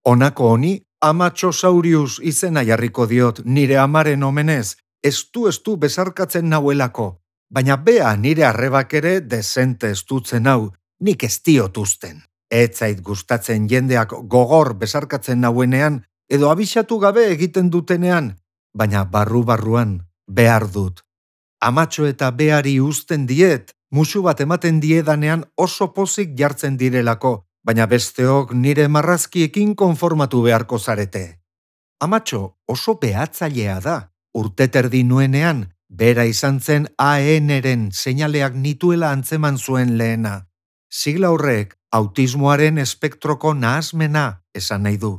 Honako honi, Amatxosaurius izena jarriko diot nire amaren omenez, estu besarkatzen nauelako, baina bea nire arrebak ere dezente estutzen hau, nik ez diot uzten. Ez zait gustatzen jendeak gogor besarkatzen nauenean, edo abixatu gabe egiten dutenean, baina barru-barruan behar dut. Amatxo eta beari uzten diet, musu bat ematen diedanean oso pozik jartzen direlako, baina besteok nire marrazkiekin konformatu beharko zarete. Amatxo oso behatzailea da. Urteterdi nuenean, bera izan zen AN-ren seinaleak nituela antzeman zuen lehena. Sigla horrek autismoaren espektroko nahasmena esan nahi du.